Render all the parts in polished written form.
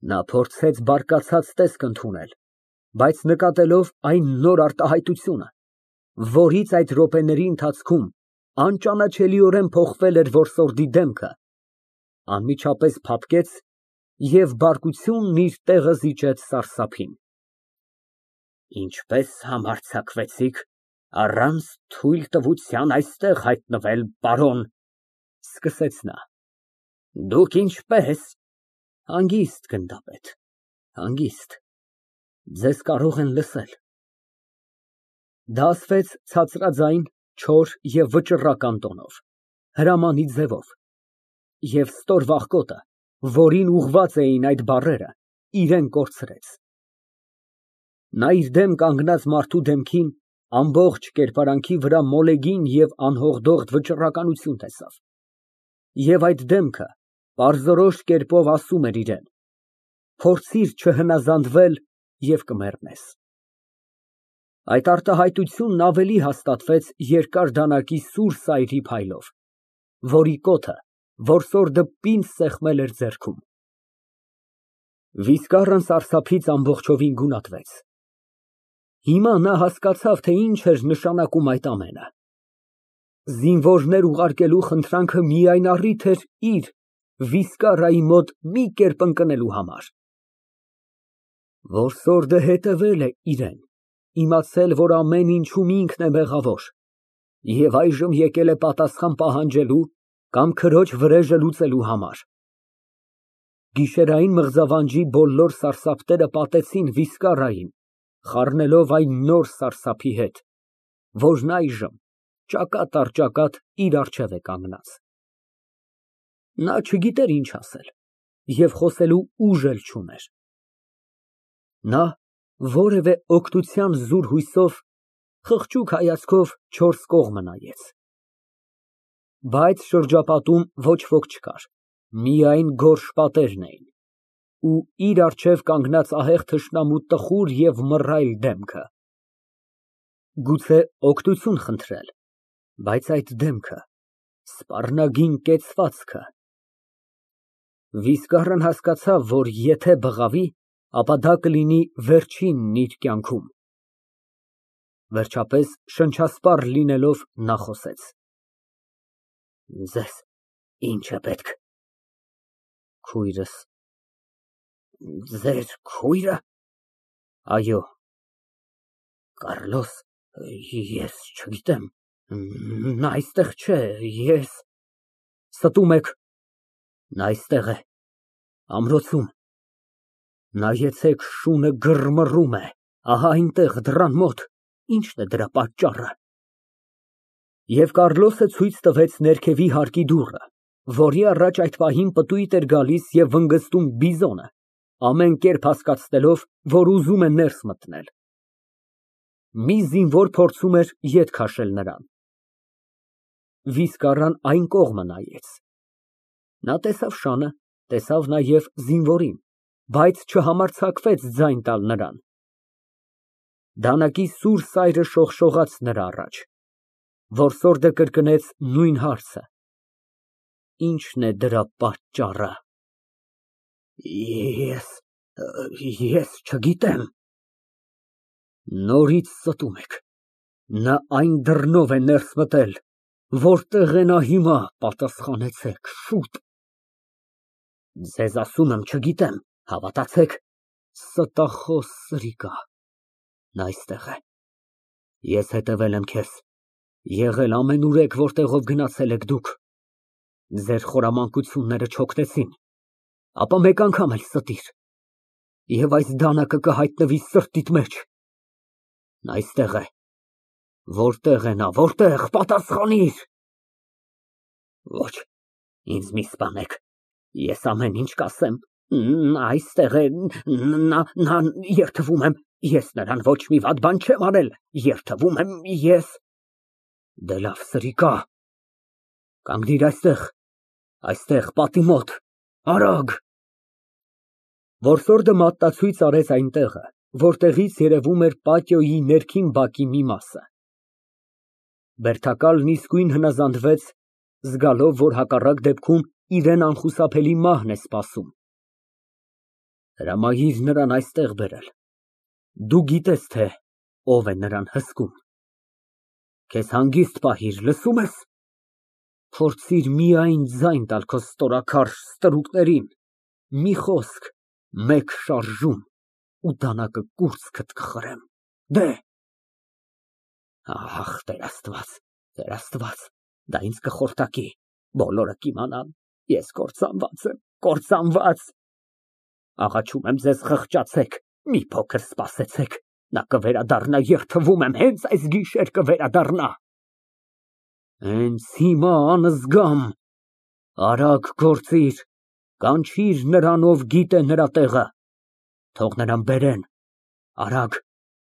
Նա փորձեց բարկացած տեսք ընդունել, բայց նկատելով այն նոր արտահայտությունը, որից այդ րոպեների ընթացքում անճանաչելիորեն փոխվել էր որսորդի դեմքը, անմիջապես փափկեց և բարկությունն իր տեղը զիջեց սարսափին։ Ինչպե՞ս համարձակվեցիք առանց թույլ տվության այստեղ հայտնվել, պարոն, սկսեց նա։ Դուք ինչպե՞ս։ Հանգիստ, գնդապետ, հանգիստ, ձեզ կարող են լսել։ Դա ասվեց ցածրաձայն, չոր և վճռական տոնով, հրամանի ձևով, և ստոր վախկոտը, որին ուղղված էին այդ բառերը, իրան կորցրեց։ Նա իր դեմ կանգնած մարդու դեմքին ամբողջ կերպարանքի վրա մոլեգին և անհողդողդ վճռականություն տեսավ, և այդ դեմքը պարզորոշ կերպով ասում էր իրան. «Փորձիր չհնազանդվել և կմեռնես»։ Այդ արտահայտությունն ավելի հաստատվեց երկար դանակի սուր սայրի փայլով, որի կոթը որսորդը պինդ սեղմել էր ձեռքում։ Վիզկարն սարսափից ամբողջովին գունատվեց։ Հիմա նա հասկացավ, թե ինչ էր նշանակում այդ ամենը։ Զինվորներ ուղարկելու խնդրանքը միայն առիթ էր իր՝ Վիզկարայի մոտ մի կերպ ընկնելու համար։ Որսորդը հետևել է իրան, իմացել, որ ամեն ինչում ինքն է մեղավոր, և այժմ եկել է պատասխան պահանջելու կամ քրոջ վրեժը լուծելու համար։ Գիշերային մղձավանջի բոլոր սարսափները պատեցին Վիզկարային, խառնելով այն նոր սարսափի հետ, որն այժմ ճակատ առ ճակատ իր առջև է կանգնած։ Նա չգիտեր ինչ ասել և խոսելու ուժ էլ չուներ։ Նա որևէ օգնության զուր հույսով խղճուկ հայացքով չորս կողմը նայեց։ Բայց շրջապատում ոչ ոք չկար, միայն գորշ պատերն էին ու իր առջև կանգնած ահեղ թշնամու տխուր և մռայլ դեմքը։ Գուցե օգնություն խնդրել, բայց այդ դեմքը, սպառնագին կեցվածքը… Վիզկարն հասկացավ, որ եթե բղավի, ապա դա կլինի վերջինն իր կյանքում։ Վերջապես, շնչասպառ լինելով, նա խոսեց. Ձեզ ի՞նչ է պետք։ Քույրս… Ձեր քույրը… Այո։ Կառլոս… Ես չգիտեմ… Նա այստեղ չէ, ես… Ստում եք… Նա այստեղ է, ամրոցում… Նայեցեք, շունը գրմռում է, ահա այնտեղ, դռան մոտ… Ի՞նչն է դրա պատճառը։ Եվ Կառլոսը ցույց տվեց ներքևի հարկի դուռը, որի առաջ այդ պահին պտույտ էր գալիս և վնգստում բիզոնը, ամեն կերպ հասկացնելով, որ ուզում է ներս մտնել։ Մի զինվոր փորձում էր ետ քաշել նրան։ Վիզկարն այն կողմը նայեց։ Նա տեսավ շանը, տեսավ նաև զինվորին, բայց չհամարձակվեց ձայն տալ նրան։ Դանակի սուր սայրը շողշողաց նրա առաջ։ Որսորդը կրկնեց նույն հարցը. Ի՞նչն է դրա պատճառը։ Ես չգիտեմ։ Նորից ստում եք։ Նա այն դռնով է ներս մտել, որտեղ է նա հիմա, պատասխանեցեք, շուտ։ Ձեզ ասում եմ, չգիտեմ, հավատացեք։ Ստախոս սրիկա, նա այստեղ է։ Ես հետևել եմ քեզ, եղել ամենուրեք, որտեղով գնացել եք դուք։ Ձեր խորամանկությունները չօգնեցին, ապա մեկ անգամ էլ ստիր, և այս դանակը կհայտնվի սրտիդ մեջ։ Նա այստեղ է։ Որտեղ է նա, որտեղ, պատասխանիր։ Ոչ, ինձ մի սպանեք, ես ամեն ինչ կասեմ։ Նա այստեղ է, նա… Երդվում եմ, ես նրան ոչ մի վատ բան չեմ արել, երդվում եմ, ես… Դե լավ, սրիկա, կանգնիր այստեղ, պատի մոտ, արագ… Որսորդը մատնացույց արեց այն տեղը, որտեղից երևում էր պատիոյի ներքին բակի մի մասը։ Բերդակալն իսկույն հնազանդվեց, զգալով, որ հակառակ դեպքում իրան անխուսափելի մահն է սպասում։ Հրամայիր նրան այստեղ բերել։ Դու գիտես, թե ով է նրան հսկում։ Քեզ հանգիստ պահիր, լսո՞ւմ ես։ Փորձիր միայն ձայն տալ քո ստորաքարշ ստրուկներին, մի խոսք, մեկ շարժում, ու դանակը կուրծքդ կխրեմ։ Դե։ Ահ, Տեր Աստված, դա ինձ կխորտակի, բոլորը կիմանան, ես կործանված եմ, կործանված։ Աղաչում եմ ձեզ, խղճացեք, մի փոքր սպասեցեք, նա կվերադառնա, երդվում եմ, հենց այս գիշեր կվերադառնա։ Հենց հիմա անզգամ, արագ գործիր, կանչիր նրան, ով գիտե նրա տեղը, թող նրան բերեն, արագ,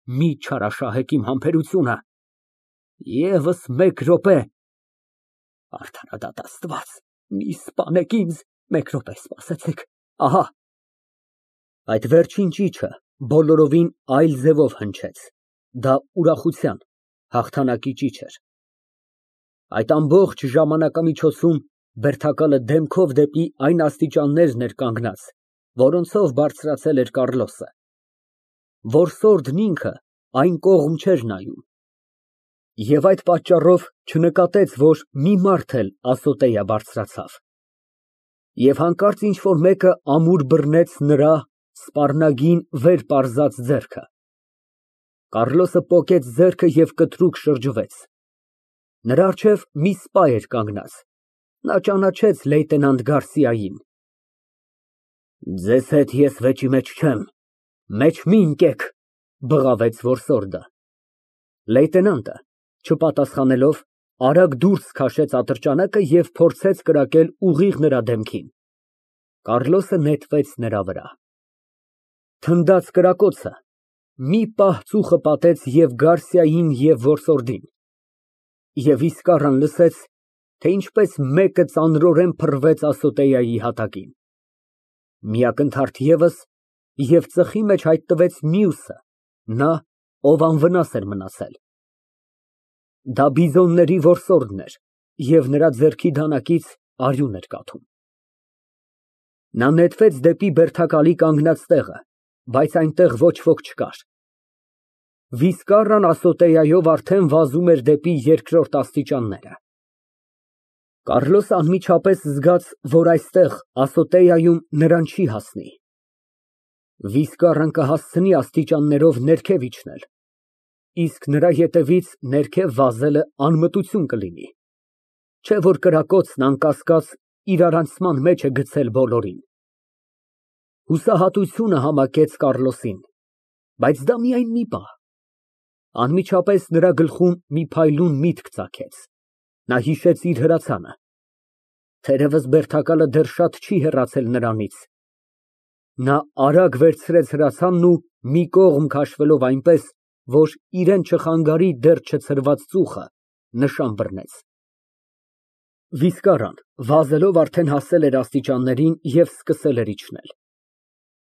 մի չարաշահեք իմ համբերությունը, ևս մեկ րոպե, արդարադատ Աստված, մի սպանեք ինձ, մեկ րոպե սպասեցեք, ահա։ Այդ վերջին ճիչը բոլորովին այլ ձևով հնչեց, դա ուրախության, հաղթանակի ճիչ էր։ Այդ ամբողջ ժամանակամիջոցում բերդակալը դեմքով դեպի այն աստիճաններն էր կանգնած, որոնցով բարձրացել էր Կառլոսը։ Որսորդն ինքը այն կողմ չէր նայում։ Եվ այդ պատճառով չնկատեց, որ մի մարդ էլ ասոտեյա բարձրացավ։ Եվ հանկարծ ինչ֊որ մեկը ամուր բռնեց նրա սպառնագին վեր պարզած ձեռքը։ Կառլոսը պոկեց ձեռքը և կտրուկ շրջվեց։ Նրա առջև մի սպա էր կանգնած։ Նա ճանաչեց լեյտենանտ Գարսիային։ Ձեզ հետ ես վեճի մեջ չեմ, մեջ մի ընկեք, բղավեց որսորդը։ Լեյտենանտը, չպատասխանելով, արագ դուրս քաշեց ատրճանակը և փորձեց կրակել ուղիղ նրա դեմքին։ Կառլոսը նետվեց նրա վրա։ Թնդաց կրակոցը, մի պահ ծուխը պատեց և Գարսիային և որսորդին։ Եվ իսկառան լսեց, թե ինչպես մեկը ծանրորեն փռվեց ասոտեյայի հատակին։ Մի ակնթարթ ևս, և ծխի մեջ հայտնվեց մյուսը, նա, ով անվնաս էր մնացել։ Դա բիզոնների որսորդն էր, և նրա ձեռքի դանակից արյուն էր կաթում։ Նա նետվեց դեպի բերդակալի կանգնած տեղը, բայց այնտեղ ոչ ոք չկար։ Վիսկառան ասոտեայով արդեն վազում էր դեպի երկրորդ աստիճանները։ Կառլոսը անմիջապես զգաց, որ այստեղ ասոտեայում նրան չի հասնի։ Վիսկառան կհասցնի աստիճաններով ներքև իջնել, իսկ նրա ետևից ներքև վազելը անմտություն կլինի, չէ որ կրակոցն անկասկած իրարանցման մեջ է գցել բոլորին։ Հուսահատությունը համակեց Կառլոսին, բայց դա միայն մի պահ։ Անմիջապես նրա գլխում մի փայլուն միտք ծագեց, նա հիշեց իր հրացանը։ Թերևս բերդակալը դեռ շատ չի հեռացել նրանից։ Նա արագ վերցրեց հրացանն ու մի կողմ քաշվելով այնպես, որ իրան չխանգարի դեռ չցրված ծուխը, նշան բռնեց։ Վիսկառան վազելով արդեն հասել էր աստիճաններին և սկսել էր իջնել։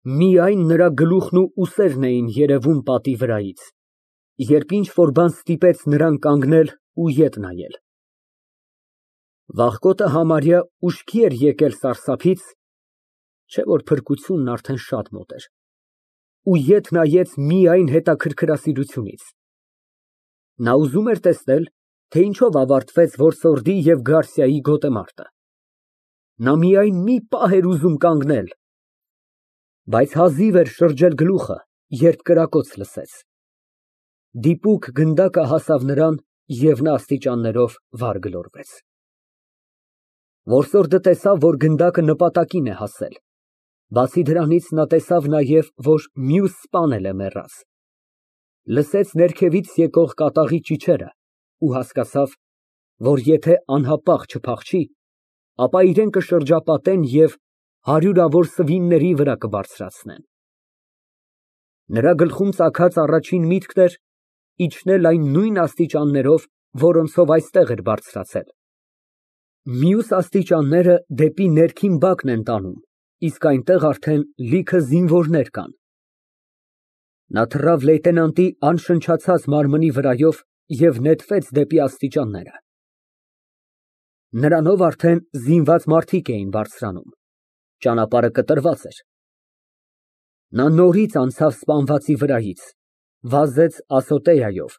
Միայն նրա գլուխն ու ուսերն էին երևում պատի վրայից, երբ ինչ֊որ բան ստիպեց նրան կանգնել ու ետ նայել։ Վախկոտը համարյա ուշքի էր եկել սարսափից, չէ որ փրկությունն արդեն շատ մոտ էր, ու ետ նայեց միայն հետաքրքրասիրությունից։ Նա ուզում էր տեսնել, թե ինչով ավարտվեց որսորդի և Գարսիայի գոտեմարտը։ Նա միայն մի պահ էր ուզում կանգնել, բայց հազիվ էր շրջել գլուխը, երբ կրակոց լսեց։ Դիպուկ գնդակը հասավ նրան, և նա աստիճաններով վար գլորվեց։ Որսորդը տեսավ, որ գնդակը նպատակին է հասել, բացի դրանից նա տեսավ նաև, որ մյուս սպան էլ է մեռած։ Լսեց ներքևից եկող կատաղի ճիչերը ու հասկացավ, որ եթե անհապաղ չփախչի, ապա իրան կշրջապատեն և հարյուրավոր սվինների վրա կբարձրացնեն։ Նրա գլխում ծագած առաջին միտքն էր իջնել այն նույն աստիճաններով, որոնցով այստեղ էր բարձրացել։ Մյուս աստիճանները դեպի ներքին բակն են տանում, իսկ այնտեղ արդեն լիքը զինվորներ կան։ Նա թռավ լեյտենանտի անշնչացած մարմնի վրայով և նետվեց դեպի աստիճանները։ Նրանով արդեն զինված մարդիկ էին բարձրանում։ Ճանապարհը կտրված էր։ Նա նորից անցավ սպանվածի վրայից, վազեց ասոտեայով,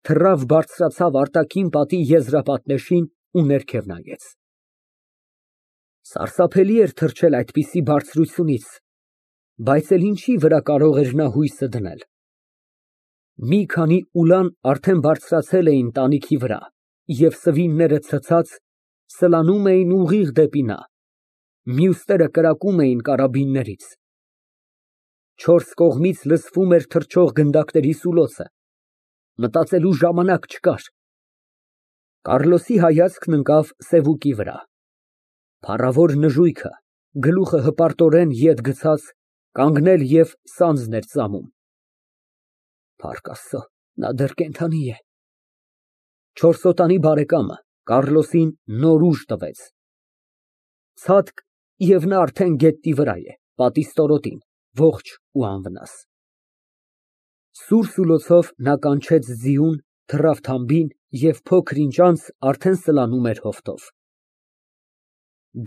թռավ բարձրացավ արտաքին պատի եզրապատնեշին ու ներքև նայեց։ Սարսափելի էր թռչել այդպիսի բարձրությունից, բայց էլ ինչի վրա կարող էր նա հույսը դնել։ Մի քանի ուլան արդեն բարձրացել էին տանիքի վրա և սվինները ցցած սլանում էին ուղիղ դեպի նա, մյուսները կրակում էին կարաբիններից։ Չորս կողմից լսվում էր թռչող գնդակների սուլոցը, մտածելու ժամանակ չկար։ Կարլոսի հայացքն ընկավ սևուկի վրա։ Փառավոր նժույգը, գլուխը հպարտորեն ետ գցած, կանգնել և սանձն էր ծամում։ Փառք Աստծո, նա դեռ կենդանի է։ Չորսոտանի բարեկամը Կարլոսին նոր ուժ տվեց։ Ցատկ, և նա արդեն գետնի վրա է, պատի ստորոտին, ողջ ու անվնաս։ Սուր սուլոցով նա կանչեց ձիուն, թռավ թամբին և փոքր֊ինչ անց արդեն սլանում էր հովտով։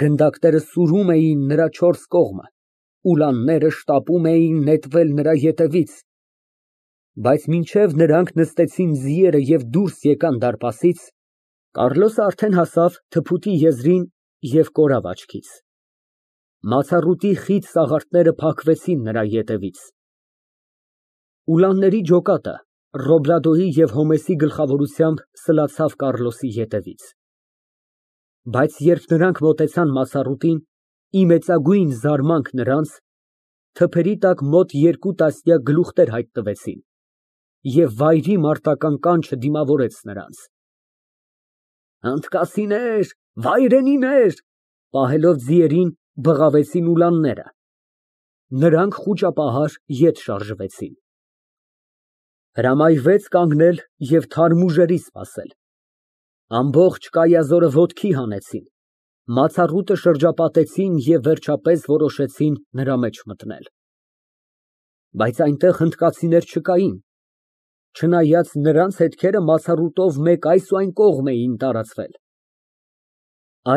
Գնդակները սուրում էին նրա չորս կողմը, ուլանները շտապում էին նետվել նրա ետևից, բայց մինչև նրանք նստեցին ձիերը և դուրս եկան դարպասից, Կարլոսը արդեն հասավ թփուտի եզրին և կորավ աչքից։ Մացառուտի խիտ սաղարթները փակվեցին նրա ետևից։ Ուլանների ջոկատը Ռոբլադոյի և Հոմեսի գլխավորությամբ սլացավ Կարլոսի ետևից։ Բայց երբ նրանք մոտեցան մացառուտին, ի մեծագույն զարմանք նրանց, թփերի տակ մոտ երկու տասնյակ գլուխներ հայտնվեցին, և վայրի մարտական կանչը դիմավորեց նրանց։ Հնդկասիներ, վայրենիներ, պահելով ձիերին, բղավեցին ուլանները։ Նրանք խուճապահար ետ շարժվեցին։ Հրամայվեց կանգնել և թարմ ուժերի սպասել։ Ամբողջ կայազորը ոտքի հանեցին, մացառուտը շրջապատեցին և վերջապես որոշեցին նրա մեջ մտնել։ Բայց այնտեղ հնդկացիներ չկային, չնայած նրանց հետքերը մացառուտով մեկ այս ու այն կողմ էին տարածվել։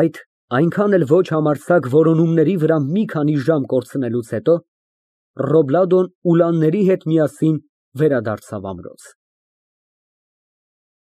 Այդ այնքան էլ ոչ համարձակ որոնումների վրա մի քանի ժամ կորցնելուց հետո Ռոբլադոն ուլանների հետ միասին վերադարձավ ամրոց։